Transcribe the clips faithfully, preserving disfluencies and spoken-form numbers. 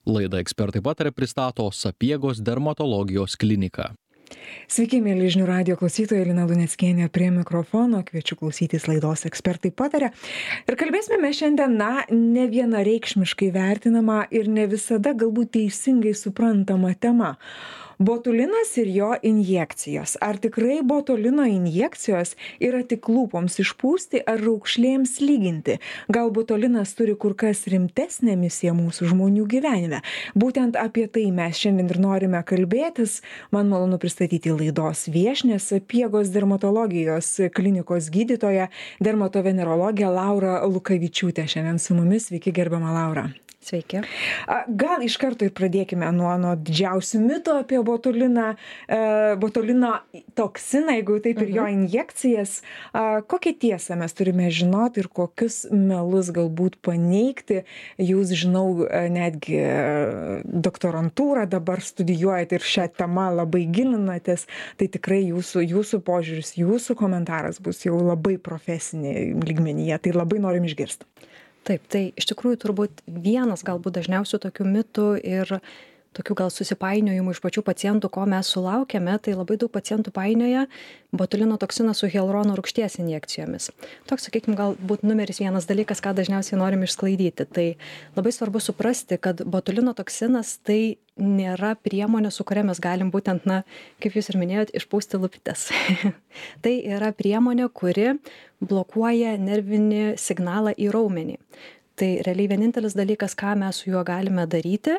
Laidą Ekspertai pataria pristato Sapiegos dermatologijos klinika. Sveiki, mėly žinių radijo klausytojai, Lina Luneckienė prie mikrofono, kviečiu klausytis laidos Ekspertai pataria. Ir kalbėsime mes šiandien, na, ne vienareikšmiškai vertinama ir ne visada galbūt teisingai suprantama tema. Botulinas ir jo injekcijos. Ar tikrai botulino injekcijos yra tik lūpoms išpūsti ar raukšlėms lyginti? Gal botulinas turi kur kas rimtesnę misiją mūsų žmonių gyvenime? Būtent apie tai mes šiandien ir norime kalbėtis. Man malonu pristatyti laidos viešnią, Sapiegos dermatologijos klinikos gydytoją, dermatovenerologę Laurą Lukavičiūtę. Šiandien su mumis. Sveiki, gerbiama Laura. Sveiki. Gal iš karto ir pradėkime nuo, nuo didžiausių mitų apie botuliną, e, botulino toksiną, jeigu taip ir jo injekcijas. A, kokią tiesą mes turime žinoti ir kokius melus galbūt paneigti? Jūs, žinau, netgi doktorantūrą dabar studijuojate ir šią temą labai gilinatės. Tai tikrai jūsų, jūsų požiūris, jūsų komentaras bus jau labai profesinė lygmenyje. Tai labai norim išgirsti. Taip, tai iš tikrųjų turbūt vienas galbūt dažniausių tokių mitų ir tokių gal susipainiojimų iš pačių pacientų, ko mes sulaukėme, tai labai daug pacientų painioja botulino toksiną su hialurono rūgšties injekcijomis. Toks, sakykime, galbūt numeris vienas dalykas, ką dažniausiai norim išsklaidyti. Tai labai svarbu suprasti, kad botulino toksinas tai nėra priemonė, su kuria mes galim būtent, na, kaip jūs ir minėjot, išpūsti lūpytes. Tai yra priemonė, kuri blokuoja nervinį signalą į raumenį. Tai realiai vienintelis dalykas, ką mes su juo galime daryti,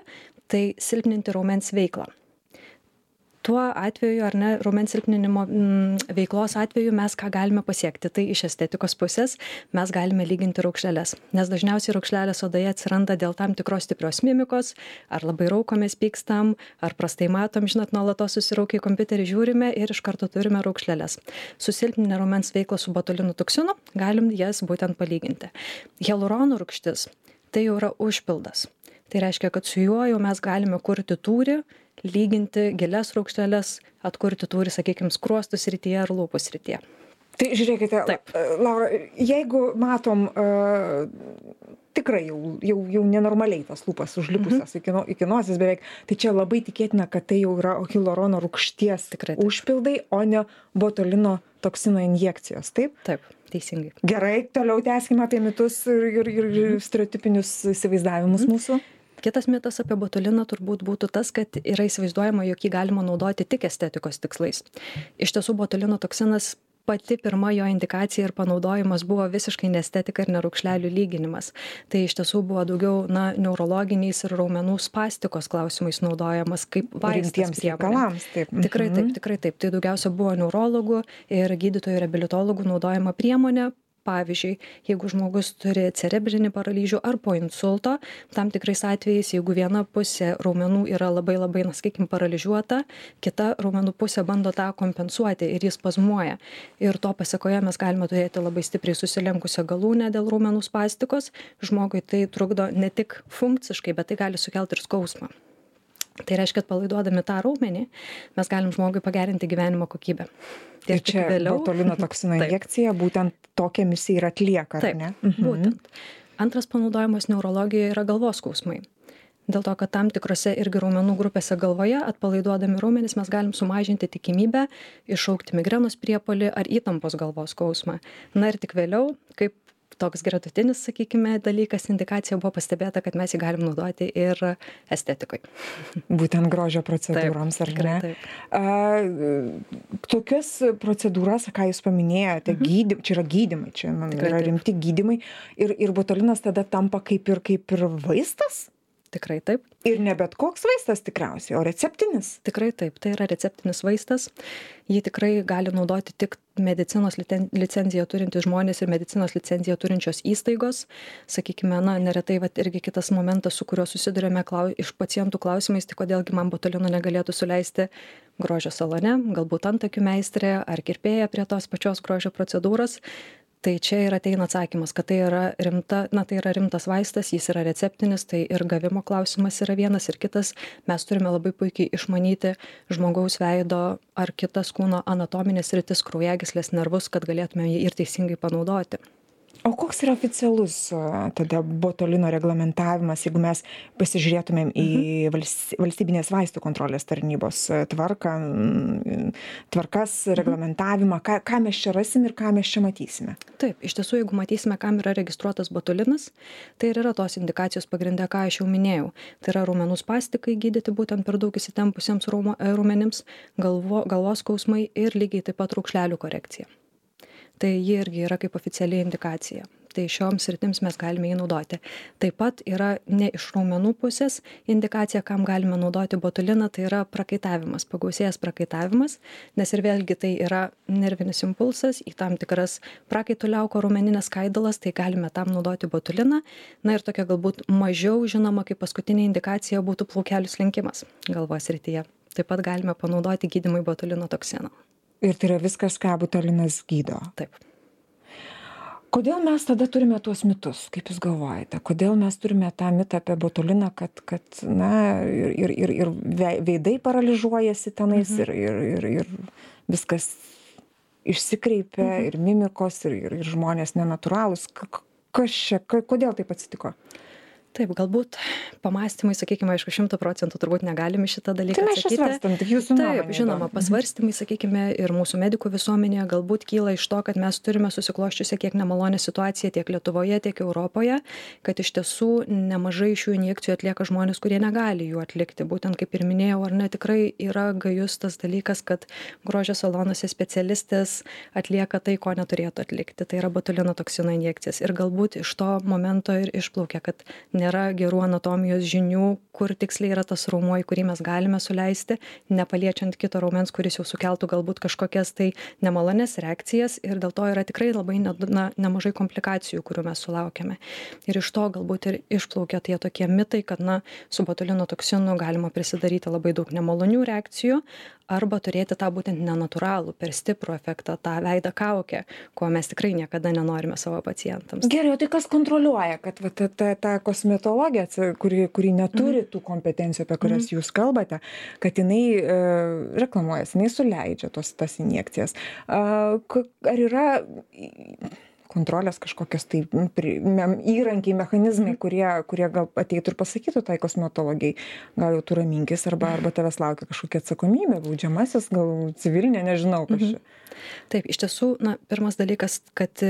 tai silpninti raumens veiklą. Tuo atveju, ar ne, raumens silpninimo m, veiklos atveju mes ką galime pasiekti. Tai iš estetikos pusės mes galime lyginti raukšleles. Nes dažniausiai raukšlelės odoje atsiranda dėl tam tikros stiprios mimikos, ar labai raukomės, pykstam, ar prastai matom, žinot, nuolatos susiraukę į kompiuterį žiūrime ir iš karto turime raukšleles. Susilpninę raumens veiklą su botulino toksinu galim jas būtent palyginti. Hialurono rūgštis tai jau yra užpildas. Tai reiškia, kad su juo jau mes galime kurti tūrį, lyginti gilias raukšleles, atkurti tūrį, sakykime, skruostų srityje ar lūpų srityje. Tai žiūrėkite, Taip. Laura, jeigu matom uh, tikrai jau, jau, jau nenormaliai tas lūpas užlipusios mm-hmm. iki, no, iki nosis beveik, tai čia labai tikėtina, kad tai jau yra hialurono rūgšties Tikrai, taip. užpildai, o ne botulino toksino injekcijos, taip? Taip, teisingai. Gerai, toliau tęskime apie mitus ir, ir, ir mm-hmm. stereotipinius įsivaizdavimus mm-hmm. mūsų. Kitas mitas apie botuliną turbūt būtų tas, kad yra įsivaizduojama, jog jį galima naudoti tik estetikos tikslais. Iš tiesų, botulino toksinas pati pirma jo indikacija ir panaudojimas buvo visiškai ne estetika ir ne raukšlelių lyginimas. Tai iš tiesų buvo daugiau, na, neurologiniais ir raumenų spastikos klausimais naudojamas kaip vaistas priemonė. Taip. Tikrai taip, tikrai taip. Tai daugiausia buvo neurologų ir gydytojų reabilitologų naudojama priemonė. Pavyzdžiui, jeigu žmogus turi cerebrinį paralyžių ar po insulto, tam tikrais atvejais, jeigu viena pusė raumenų yra labai labai, na, sakykime, paralyžiuota, kita raumenų pusė bando tą kompensuoti ir jis spazmuoja. Ir to pasekoje mes galime turėti labai stipriai susilenkusią galūnę dėl raumenų spastikos. Žmogui tai trukdo ne tik funkciškai, bet tai gali sukelti ir skausmą. Tai reiškia, kad palaiduodami tą raumenį, mes galim žmogui pagerinti gyvenimo kokybę. Ir čia vėliau botulino toksino injekcija būtent tokią misiją ir atlieka, ar Taip, ne? Mhm. Būtent. Antras panaudojimas neurologijoje yra galvos skausmai. Dėl to, kad tam tikrose irgi raumenų grupėse galvoje, atpalaiduodami raumenis, mes galim sumažinti tikimybę iššaukti migrenos priepuolį ar įtampos galvos skausmą. Na ir tik vėliau, kaip toks gretutinis, sakykime, dalykas, indikacija buvo pastebėta, kad mes jį galim naudoti ir estetikoje. Būtent grožio procedūroms, ar ne? Taip. A, tokias procedūras, ką jūs paminėjote, mhm. gydym, čia yra gydymai, čia man, Tikrai yra taip. rimti gydymai ir, ir botulinas tada tampa kaip ir, kaip ir vaistas? Tikrai taip. Ir ne bet koks vaistas tikriausiai, o receptinis. Tikrai taip, tai yra receptinis vaistas. Jį tikrai gali naudoti tik medicinos licenciją turintys žmonės ir medicinos licenciją turinčios įstaigos. Sakykime, na, neretai vat, irgi kitas momentas, su kuriuo susidurėme klau, iš pacientų klausimais, tai kodėlgi man botulino negalėtų suleisti grožio salone, galbūt antakių meistrė ar kirpėja prie tos pačios grožio procedūros. Tai čia ir ateina atsakymas, kad tai yra, rimta, na, tai yra rimtas vaistas, jis yra receptinis, tai ir gavimo klausimas yra vienas ir kitas. Mes turime labai puikiai išmanyti žmogaus veido ar kitas kūno anatominės sritis, kraujagyslės, nervus, kad galėtume jį ir teisingai panaudoti. O koks yra oficialus tada botulino reglamentavimas, jeigu mes pasižiūrėtumėm į valstybinės vaistų kontrolės tarnybos tvarką, tvarkas, reglamentavimą, ką, ką mes čia rasim ir ką mes čia matysime? Taip, iš tiesų, jeigu matysime, kam yra registruotas botulinas, tai ir yra tos indikacijos pagrindė, ką aš jau minėjau. Tai yra raumenų spastikai gydyti būtent per daug įsitempusiems raumenims, galvo, galvos skausmai ir lygiai taip pat raukšlelių korekcija. Tai ji irgi yra kaip oficiali indikacija. Tai šioms sritims mes galime jį naudoti. Taip pat yra ne iš raumenų pusės indikacija, kam galime naudoti botuliną, tai yra prakaitavimas, pagausėjęs prakaitavimas, nes ir vėlgi tai yra nervinis impulsas į tam tikras prakaito liauko raumeninės skaidulas, tai galime tam naudoti botuliną. Na ir tokia galbūt mažiau žinoma, kaip paskutinė indikacija būtų plaukelių slinkimas galvos srityje. Taip pat galime panaudoti gydymui botulino toksino. Ir tai yra viskas, ką botulinas gydo. Taip. Kodėl mes tada turime tuos mitus, kaip jūs galvojate? Kodėl mes turime tą mitą apie botuliną, kad, kad na, ir, ir, ir veidai paralyžiuojasi tenais, mhm. ir, ir, ir, ir viskas išsikreipia, mhm. ir mimikos, ir, ir, ir žmonės nenatūralūs. Kas čia, kodėl taip atsitiko? Taip, galbūt pamąstymai, sakykime, aišku, šimtų procentų turbūt negalim šitą dalyką tai atsakyti. Tai mes svarstam, tik jūsų nuomonė. Taip, žinoma, pasvarstymai, sakykime, ir mūsų medikų visuomenėje galbūt kyla iš to, kad mes turime susikloščiusią kiek nemalonę situaciją tiek Lietuvoje, tiek Europoje, kad iš tiesų nemažai šių injekcijų atlieka žmonės, kurie negali jų atlikti. Būtent kaip ir minėjau, ar ne, tikrai yra gajus tas dalykas, kad grožio salonuose specialistės atlieka tai, ko neturėtų atlikti. Tai yra botulino toksino injekcijas. Ir galbūt iš to momento ir išplaukia, kad nėra gerų anatomijos žinių, kur tiksliai yra tas raumuo, į kurį mes galime suleisti, nepaliečiant kito raumens, kuris jau sukeltų galbūt kažkokias tai nemalonės reakcijas ir dėl to yra tikrai labai ne, na, nemažai komplikacijų, kurių mes sulaukiame. Ir iš to galbūt ir išplaukia tie tokie mitai, kad na, su botulino toksinu galima prisidaryti labai daug nemalonių reakcijų arba turėti tą būtent nenatūralų, per stiprų efektą, tą veidą kaukę, ko mes tikrai niekada nenorime savo pacientams. Gerai, o tai kas kontroliuoja, kad va, ta, ta, ta kosmetologija, kuri, kuri neturi mm. tų kompetencijų, apie kurias mm. jūs kalbate, kad jinai e, reklamuojas, jinai suleidžia tos, tas injekcijas. A, ar yra kontrolės kažkokios tai įrankiai, mechanizmai, kurie, kurie gal ateitų ir pasakytų tai kosmetologijai, gal jau tu raminkis, arba, arba tavęs laukia kažkokia atsakomybė, baudžiamasis, gal civilinė, nežinau, kas čia. Taip, iš tiesų, na, pirmas dalykas, kad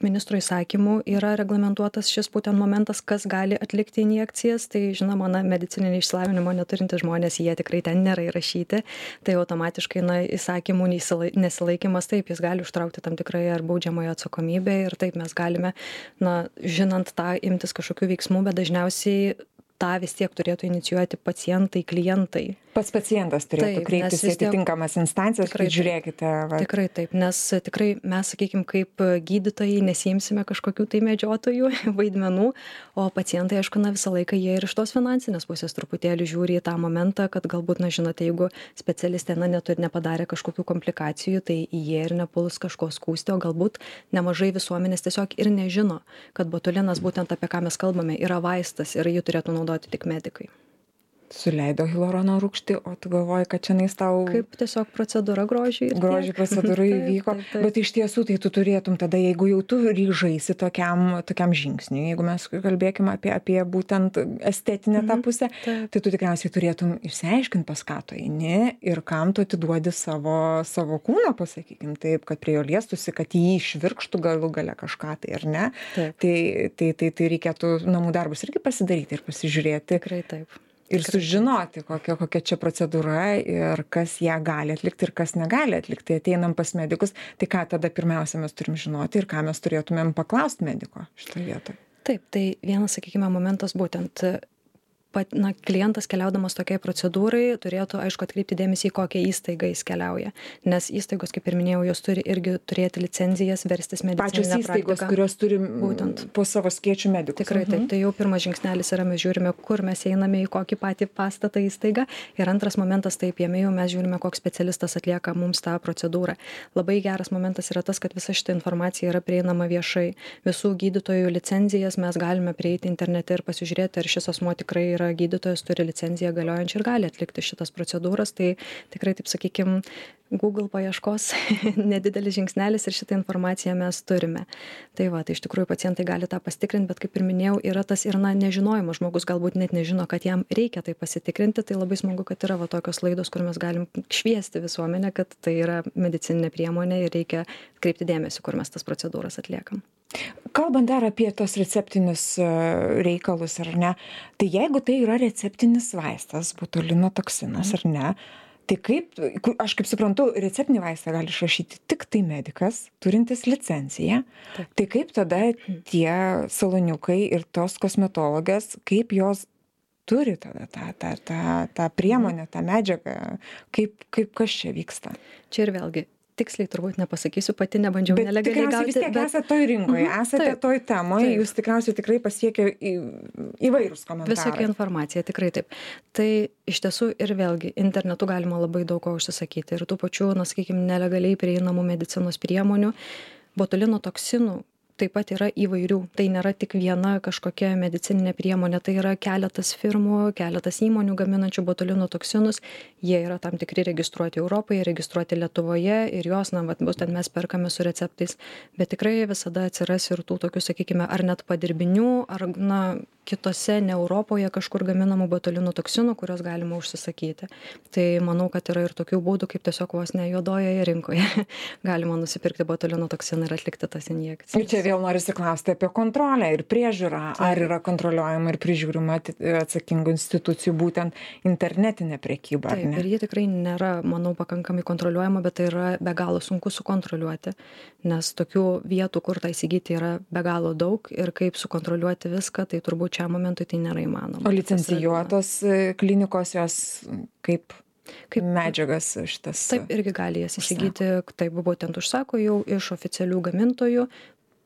ministro įsakymu yra reglamentuotas šis būtent momentas, kas gali atlikti injekcijas, tai žinoma, na, medicininį išsilavinimo neturintys žmonės, jie tikrai ten nėra įrašyti, tai automatiškai, na, įsakymų nesilaikymas, taip, jis gali užtraukti tam tikrai ar baudžiamojo atsakomybę ir taip mes galime, na, žinant tą, imtis kažkokių veiksmų, bet dažniausiai tą vis tiek turėtų inicijuoti pacientai, klientai. Pats pacientas turėtų taip, kreiptis į atitinkamas instancijas, kad žiūrėkite. Va. Tikrai taip, nes tikrai mes, sakykime, kaip gydytojai nesiimsime kažkokių tai medžiotojų vaidmenų, o pacientai, aišku, na, visą laiką jie ir iš tos finansinės pusės truputėlį žiūri į tą momentą, kad galbūt, na, žinote, jeigu specialistė, na, neturi, nepadarė kažkokių komplikacijų, tai jie ir nepuls kažko skųsti, o galbūt nemažai visuomenės tiesiog ir nežino, kad botulinas, būtent apie ką mes kalbame, yra vaistas ir jį turėtų naudoti tik medikai. Suleido hialurono rūgštį, o tu galvoji, kad čia nais tau... Kaip tiesiog procedūra grožiai. Grožiai procedūra įvyko, taip, taip. Bet iš tiesų tai tu turėtum tada, jeigu jau tu ryžaisi tokiam, tokiam žingsniui, jeigu mes kalbėkime apie, apie būtent estetinę tą pusę, mhm, tai tu tikriausiai turėtum išsiaiškinti, pas ką tu eini ir kam tu atiduodi savo, savo kūną, pasakykim taip, kad prie jo liestusi, kad jį išvirkštų galų gale kažką tai, ar ne? Tai, tai, tai, tai reikėtų namų darbus irgi pasidaryti ir pasižiūrėti. Tikrai taip. Ir sužinoti, kokia, kokia čia procedūra ir kas ją gali atlikti ir kas negali atlikti. Ateinam pas medikus, tai ką tada pirmiausia mes turim žinoti ir ką mes turėtumėm paklausti mediko šitoje vietoje. Taip, tai vienas, sakykime, momentas būtent, pat, na, klientas keliaudamas tokiai procedūrai turėtų, aišku, atkreipti dėmesį į kokią įstaigą jis keliauja. Nes įstaigos, kaip ir minėjau, jos turi irgi turėti licenzijas, verstis medicininę praktiką. Pačios įstaigos, kurios turi būtent po savo skiečių medikus. Tikrai taip, tai jau pirmas žingsnelis yra, mes žiūrime, kur mes einame, į kokį patį pastatą įstaigą. Ir antras momentas, taip, jame jau mes žiūrime, koks specialistas atlieka mums tą procedūrą. Labai geras momentas yra tas, kad visa šita informacija yra prieinama viešai. Visų gydytojų licenzijas mes galime prieiti internete ir pasižiūrėti, ar šis asmuo tikrai yra gydytojas, turi licenciją galiojančią ir gali atlikti šitas procedūras. Tai tikrai, taip sakykim, Google paieškos nedidelis žingsnelis ir šitą informaciją mes turime. Tai va, tai iš tikrųjų pacientai gali tą pasitikrinti, bet kaip ir minėjau, yra tas ir na, nežinojimas, žmogus galbūt net nežino, kad jam reikia tai pasitikrinti, tai labai smagu, kad yra va tokios laidos, kur mes galim šviesti visuomenę, kad tai yra medicininė priemonė ir reikia kreipti dėmesį, kur mes tas procedūras atliekam. Kalbant dar apie tos receptinius reikalus, ar ne, tai jeigu tai yra receptinis vaistas, botulino toksinas, ar ne, tai kaip, aš kaip suprantu, receptinį vaistą gali išrašyti tik tai medikas, turintis licenciją. Taip. Tai kaip tada tie saloniukai ir tos kosmetologės, kaip jos turi tada tą, tą, tą, tą priemonę, tą medžiagą, kaip, kaip kas čia vyksta? Čia ir vėlgi. Tiksliai turbūt nepasakysiu, pati nebandžiau bet nelegaliai gauti. Bet tikriausiai vis tiek bet... esate toj rinkoje, mm-hmm, esate taip, toj temoje, taip. Jūs tikriausiai tikrai pasiekia į, įvairūs komentarai. Visokia informacija, tikrai taip. Tai iš tiesų ir vėlgi internetu galima labai daug ko užsisakyti ir tų pačių, na, sakykime, nelegaliai prieinamų medicinos priemonių, botulino toksinų. Taip pat yra įvairių. Tai nėra tik viena kažkokia medicininė priemonė, tai yra keletas firmų, keletas įmonių gaminančių botulino toksinus. Jie yra tam tikri registruoti Europoje, registruoti Lietuvoje ir jos, na, vat, būtent mes perkame su receptais. Bet tikrai visada atsiras ir tų tokių, sakykime, ar net padirbinių, ar, na, kitose ne Europoje kažkur gaminamų botulino toksinų, kurios galima užsisakyti. Tai manau, kad yra ir tokių būdų, kaip tiesiog vos ne juodojoje rinkoje galima nusipirkti botulino toksiną ir atlikti tas injekcijas. Ir čia vėl norisi klausti apie kontrolę ir priežiūrą. Tai. Ar yra kontroliuojama ir prižiūrima atsakingų institucijų būtent internetinė prekyba? Taip, ir ji tikrai nėra, manau, pakankamai kontroliuojama, bet tai yra be galo sunku sukontroliuoti, nes tokių vietų, kur tai įsigyti, yra be galo daug ir kaip sukontroliuoti viską, tai turbūt šiam momentui tai nėra įmanoma. O licencijuotos klinikos jos kaip, kaip medžiagas šitas? Taip, irgi gali jas įsigyti, taip būtent užsako jau iš oficialių gamintojų,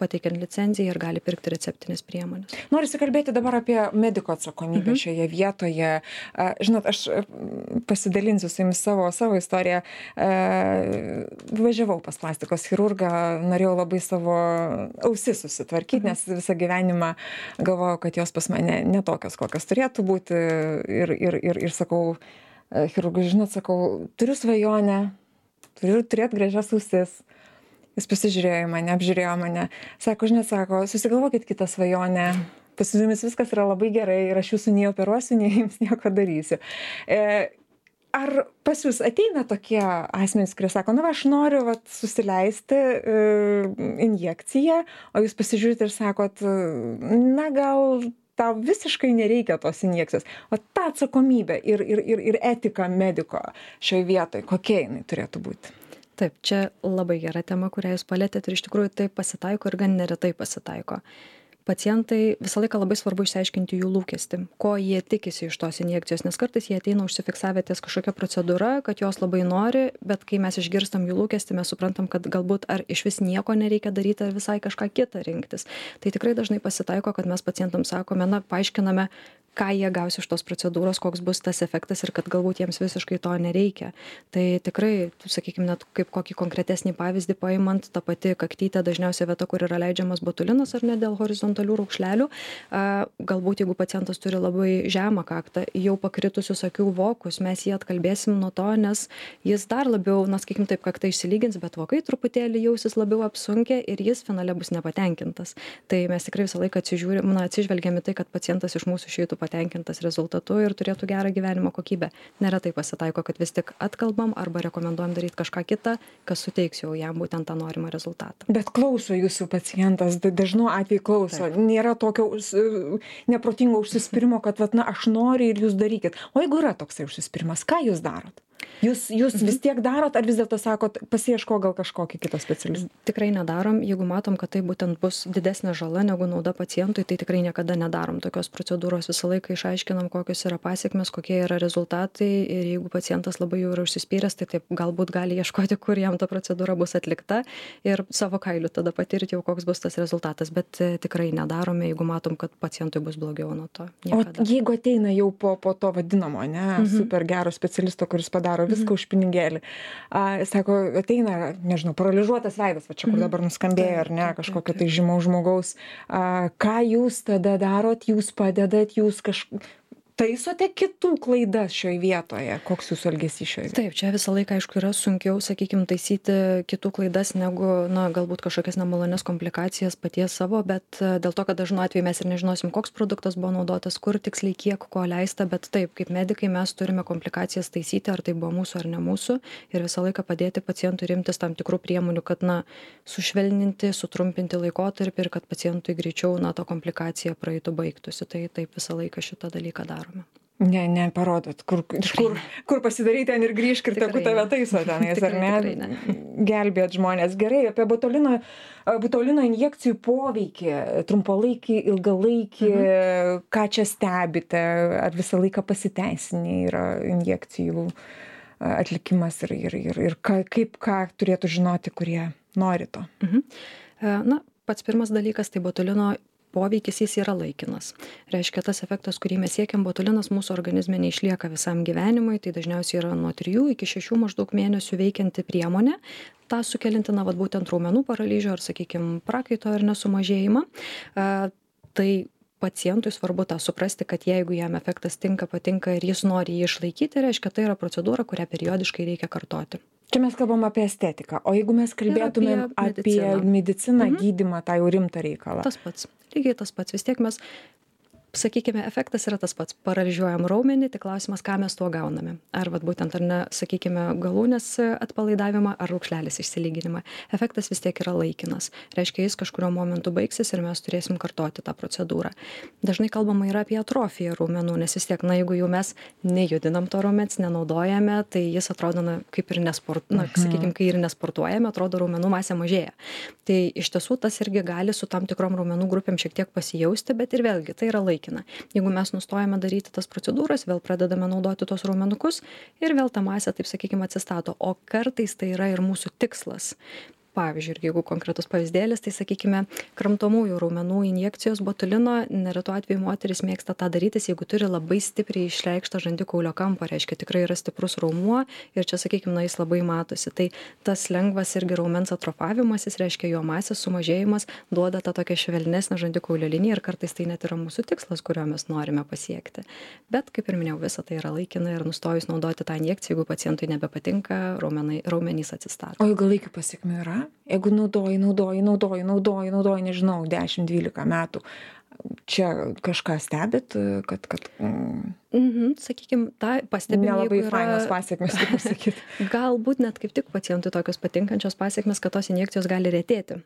pateikiant licenciją ir gali pirkti receptinės priemonės. Norisi kalbėti dabar apie mediko atsakomybę mhm. šioje vietoje. Žinot, aš pasidalinsiu su jumis savo, savo istoriją. Važiavau pas plastikos chirurgą, norėjau labai savo ausis susitvarkyti, mhm. nes visą gyvenimą galvojau, kad jos pas mane netokios, kokios turėtų būti. Ir, ir, ir, ir sakau, chirurgui, žinot, sakau, turiu svajonę, turiu turėti gražias ausis. Jis pasižiūrėjo mane, apžiūrėjo mane. Sako, žinot, sako, susigalvokit kitą svajonę. Pas jumis viskas yra labai gerai ir aš jūsų nei operuosiu, nei jums nieko darysiu. E, ar pas jūs ateina tokie asmenys, kurie sako, na, va, aš noriu vat, susileisti e, injekciją, o jūs pasižiūrite ir sakot, na, gal tau visiškai nereikia tos injekcijos. O ta atsakomybė ir, ir, ir, ir etika mediko šioje vietoje, kokia jinai turėtų būti? Taip, čia labai gera tema, kurią jūs palėtėt ir iš tikrųjų tai pasitaiko ir gan neretai pasitaiko. Pacientai visą laiką labai svarbu išsiaiškinti jų lūkestį, ko jie tikisi iš tos injekcijos, nes kartais jie ateina užsifiksavę ties kažkokia procedūra, kad jos labai nori, bet kai mes išgirstam jų lūkestį, mes suprantam, kad galbūt ar iš vis nieko nereikia daryti, ar visai kažką kitą rinktis. Tai tikrai dažnai pasitaiko, kad mes pacientams sakome, na, paaiškiname, ką jie gaus iš tos procedūros, koks bus tas efektas ir kad galbūt jiems visiškai to nereikia. Tai tikrai, sakykime, net kaip kokį konkretesnį pavyzdį paimant, ta pati kaktytė dažniausiai vieta, kur yra leidžiamas botulinas ar ne dėl horizontalių raukšlelių. Galbūt jeigu pacientas turi labai žemą kaktą, jau pakritusius akių vokus, mes jį atkalbėsim nuo to, nes jis dar labiau, na, sakykime, taip kaktą išsilygins, bet vokai truputėlį jausis labiau apsunkę ir jis finale bus nepatenkintas. Tai mes tikrai visą laiką atsižiūrim, na, atsižvelgiame tai, kad pacientas iš mūsų išeitų patenkintas rezultatu ir turėtų gerą gyvenimo kokybę. Neretai pasitaiko, kad vis tik atkalbam arba rekomenduojam daryti kažką kitą, kas suteiks jau jam būtent tą norimą rezultatą. Bet klauso jūsų pacientas, dažnu atveju klauso. Taip. Nėra tokio neprotingo užsispyrimo, kad vat, na, aš noriu ir jūs darykit. O jeigu yra toksai užsispyrimas, ką jūs darot? Jūs, jūs vis tiek darot, ar vis dėlto sakot, pasiieško gal kažkokį kitą specialistą? Tikrai nedarom. Jeigu matom, kad tai būtent bus didesnė žala negu nauda pacientui, tai tikrai niekada nedarom tokios procedūros. Visą laiką išaiškinam, kokios yra pasiekmes, kokie yra rezultatai ir jeigu pacientas labai jau yra užsispyręs, tai taip galbūt gali ieškoti, kur jam ta procedūra bus atlikta ir savo kailiu tada patirti jau, koks bus tas rezultatas. Bet tikrai nedarome, jeigu matom, kad pacientui bus blogiau nuo to. Niekada. O jeigu ateina jau po, po to vadinamo, ne, mhm. super gero specialisto, kuris padaro viską už pinigėlį. A, sako, ateina, nežinau, paralyžiuotas veidas, va čia, kur dabar nuskambėjo, ar ne, kažkokio tai žymaus žmogaus. A, ką jūs tada darot, jūs padedat, jūs kažkaip, taisote kitų klaidas šioje vietoje? Koks jūsų elgesys šioje vietoje? Taip, čia visą laiką, aišku, yra sunkiau, sakykime, taisyti kitų klaidas negu, na, galbūt kažkokias nemalonės komplikacijas paties savo, bet dėl to, kad dažnu atveju mes ir nežinosim, koks produktas buvo naudotas, kur tiksliai kiek ko leista, bet taip, kaip medikai mes turime komplikacijas taisyti, ar tai buvo mūsų ar ne mūsų, ir visą laiką padėti pacientui rimtis tam tikrų priemonių, kad, na, sušvelninti, sutrumpinti laikotarpį ir kad pacientui greičiau, na, ta komplikacija praeitų baigtųsi. Tai taip visą laiką šitą dalyką daro. Ne, ne, parodot, kur, kur, kur pasidaryti ten ir grįžk ir tegu tave taiso tenais, ar ne? ne? Gelbėt žmonės. Gerai, apie botulino, botulino injekcijų poveikį, trumpalaikį, ilgalaikį, mhm. ką čia stebite, ar visą laiką pasiteisinė yra injekcijų atlikimas ir, ir, ir, ir ką, kaip ką turėtų žinoti, kurie nori to. Mhm. Na, pats pirmas dalykas, tai botulino poveikis jis yra laikinas. Reiškia, tas efektas, kurį mes siekiam, botulinas mūsų organizme neišlieka visam gyvenimui, tai dažniausiai yra nuo trijų iki šešių maždaug mėnesių veikianti priemonė, tą sukelinti, na, vat būtent raumenų paralyžių ar, sakykime, prakaito ar nesumažėjimą. A, tai pacientui svarbu tą suprasti, kad jeigu jam efektas tinka, patinka ir jis nori jį išlaikyti, reiškia, tai yra procedūra, kurią periodiškai reikia kartoti. Čia mes kalbam apie estetiką, o jeigu mes kalbėtumėm apie mediciną, apie mediciną mhm. gydymą, tą jau rimtą reikalą. Tas pats, lygiai tas pats, vis tiek mes, sakykime, efektas yra tas pats, paralyžiuojam raumenį, tik klausimas, ką mes tuo gauname. Ar vat būtent, ar ne, sakykime, galūnės atpalaidavimą, ar raukšlelės išsilyginimą. Efektas vis tiek yra laikinas. Reiškia, jis kažkurio momentu baigsis ir mes turėsim kartoti tą procedūrą. Dažnai kalbama yra apie atrofiją raumenų, nes vis tiek, na, jeigu jau mes nejudinam to raumens, nenaudojame, tai jis atrodo, na, kaip ir nesport, na, sakykime, kai ir nesportuojame, atrodo, raumenų masė mažėja. Tai iš tiesų tas irgi gali su tam tikrom raumenų grupėm šiek tiek pasijausti, bet ir vėlgi tai yra laikinas. Jeigu mes nustojame daryti tas procedūras, vėl pradedame naudoti tos raumenukus ir vėl ta masė, taip sakykime, atsistato. O kartais tai yra ir mūsų tikslas. Pavyzdžiui, jeigu konkretus pavyzdėlis, tai sakykime, kramtomųjų raumenų injekcijos botulino, neretu atveju moteris mėgsta tą darytis, jeigu turi labai stipriai išreikštą žandikaulio kampą, reiškia tikrai yra stiprus raumuo ir čia, sakykime, na, jis labai matosi. Tai tas lengvas irgi raumens atrofavimas, jis reiškia jo masės sumažėjimas, duoda tą tokią švelnesnę žandikaulio liniją ir kartais tai net yra mūsų tikslas, kurio mes norime pasiekti. Bet, kaip ir minėjau, visa tai yra laikina ir nustojus naudoti tą injekciją, jeigu pacientui nebepatinka, raumenai, raumenys atsistato. O ilgalaikių pasekmių yra? Jeigu naudoji, naudoji, naudoji, naudoji, naudoji, nežinau, dešimt dvylika metų, čia kažką stebit, kad... kad mm, mhm, sakykime, tą pastebim, nelabai jeigu yra... fainos pasiekmes, kaip pasakyti. Galbūt net kaip tik pacientui tokios patinkančios pasiekmes, kad tos injekcijos gali retėti.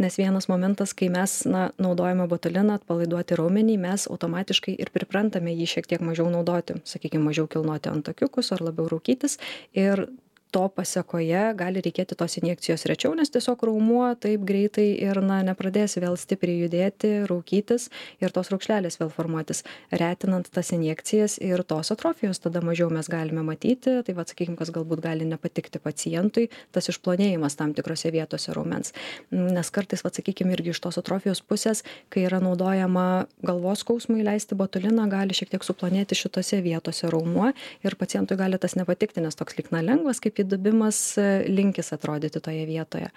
Nes vienas momentas, kai mes, na, naudojame botuliną atpalaiduoti raumenį, mes automatiškai ir priprantame jį šiek tiek mažiau naudoti. Sakykime, mažiau kilnoti antakiukus ar labiau rūkytis. Ir to pasekoje gali reikėti tos injekcijos rečiau, nes tiesiog raumuo taip greitai ir, na, nepradės vėl stipriai judėti, raukytis ir tos raukšlelės vėl formuotis. Retinant tas injekcijas ir tos atrofijos tada mažiau mes galime matyti, tai va, sakykime, kas galbūt gali nepatikti pacientui, tas išplonėjimas tam tikrose vietose raumens. Nes kartais, va, sakykime, irgi iš tos atrofijos pusės, kai yra naudojama galvos skausmui leisti botuliną, gali šiek tiek suplonėti šitose vietose raumuo ir pacientui gali tas nepatikti, nes toks lyg na lengvas, kaip įdubimas linkis atrodyti toje vietoje.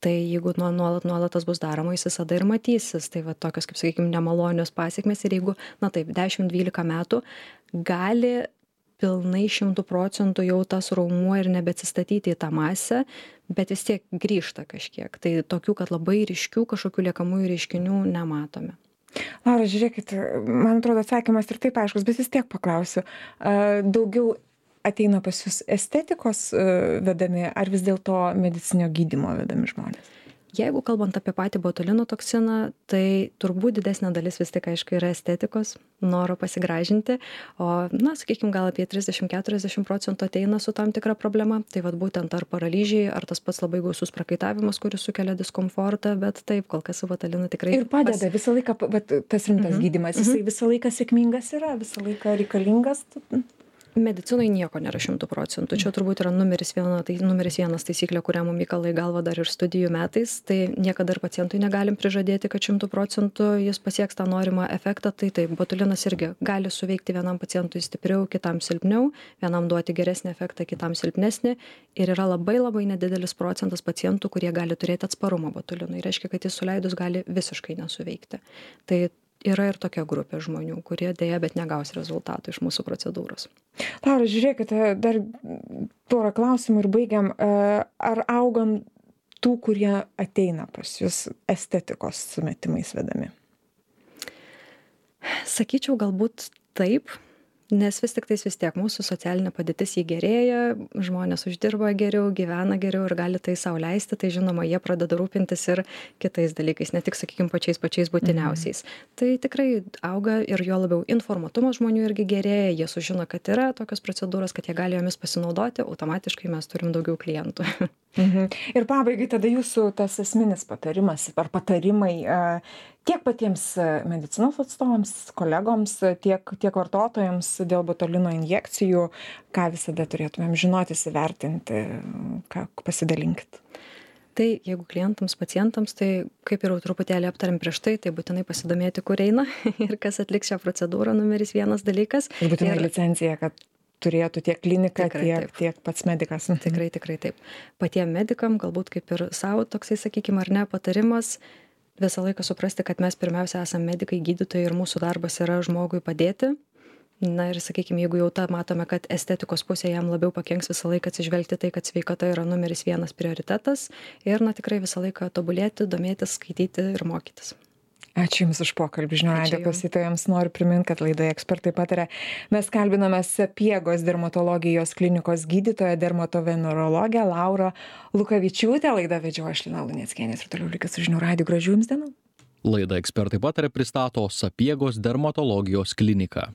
Tai jeigu nuolat nuolat tas bus daroma, jis visada ir matysis. Tai va tokios, kaip sakykime, nemalonios pasiekmes ir jeigu, na taip, dešimt dvylika metų gali pilnai šimtų procentų jau tas raumuo ir nebeatsistatyti į tą masę, bet vis tiek grįžta kažkiek. Tai tokių, kad labai ryškių kažkokių liekamųjų reiškinių nematome. Laura, žiūrėkit, man atrodo atsakymas ir taip aiškus, bet vis tiek paklausiu. Daugiau ateina pas jūs estetikos vedami, ar vis dėlto medicinio gydymo vedami žmonės? Jeigu kalbant apie patį botulino toksiną, tai turbūt didesnė dalis vis tik, aišku, yra estetikos, noro pasigražinti, o, na, sakykime, gal apie trisdešimt iki keturiasdešimt procentų ateina su tam tikra problema, tai vad būtent ar paralyžiai, ar tas pats labai gausus prakaitavimas, kuris sukelia diskomfortą, bet taip, kol kas su botulinu tikrai... Ir padeda pas... visą laiką, bet tas rimtas mm-hmm. gydymas, jisai mm-hmm. visą laiką sėkmingas yra, visą laiką reikalingas... Medicinoje nieko nėra šimtų procentų. Čia turbūt yra numeris, viena, tai numeris vienas taisyklė, kurią mums įkala į galvą dar ir studijų metais. Tai niekada ir pacientui negalim prižadėti, kad šimtų procentų jis pasieks tą norimą efektą. Tai taip, botulinas irgi gali suveikti vienam pacientui stipriau, kitam silpniau, vienam duoti geresnį efektą, kitam silpnesnį. Ir yra labai labai nedidelis procentas pacientų, kurie gali turėti atsparumą botulinui. Reiškia, kad jis suleidus gali visiškai nesuveikti. Tai yra ir tokia grupė žmonių, kurie dėja, bet negaus rezultatų iš mūsų procedūros. Laura, žiūrėkite, dar porą klausimų ir baigiam. Ar augam tų, kurie ateina pas jūs estetikos sumetimais vedami? Sakyčiau, galbūt taip. Nes vis tik tais vis tiek mūsų socialinė padėtis jį gerėja, žmonės uždirba geriau, gyvena geriau ir gali tai sau leisti, tai žinoma, jie pradeda rūpintis ir kitais dalykais, ne tik, sakykime, pačiais pačiais būtiniausiais. Mhm. Tai tikrai auga ir jo labiau informatumas žmonių irgi gerėja, jie sužino, kad yra tokios procedūros, kad jie gali jomis pasinaudoti, automatiškai mes turim daugiau klientų. Mhm. Ir pabaigai tada jūsų tas esminis patarimas ar patarimai tiek patiems medicinos atstovams, kolegoms, tiek, tiek vartotojams dėl botulino injekcijų, ką visada turėtumėm žinoti, įsivertinti, ką pasidalinkit. Tai jeigu klientams, pacientams, tai kaip ir truputėlį aptarėm prieš tai, tai būtinai pasidomėti, kur eina ir kas atliks šią procedūrą, numeris vienas dalykas. Ir būtinai ir licencija, kad turėtų tiek klinika, tikrai, tiek, tiek pats medikas. Tikrai, tikrai taip. Patiem medikam, galbūt kaip ir savo toksai, sakykime, ar ne, patarimas, visą laiką suprasti, kad mes pirmiausia esame medikai, gydytojai ir mūsų darbas yra žmogui padėti. Na ir, sakykime, jeigu jau tą matome, kad estetikos pusė jam labiau pakenks, visą laiką atsižvelgti tai, kad sveikata yra numeris vienas prioritetas ir, na, tikrai visą laiką tobulėti, domėtis, skaityti ir mokytis. Ačiū Jums už pokalbį. Žinių radijo klausytojams noriu priminti, kad laidoje Ekspertai pataria mes kalbiname Sapiegos dermatologijos klinikos gydytoją, dermatovenerologę Laurą Lukavičiūtę. Laidą vedžiau aš, Lina Luneckienė, ir toliau likit su Žinių radiju. Gražių Jums dienų. Laidą Ekspertai pataria pristato Sapiegos dermatologijos klinika.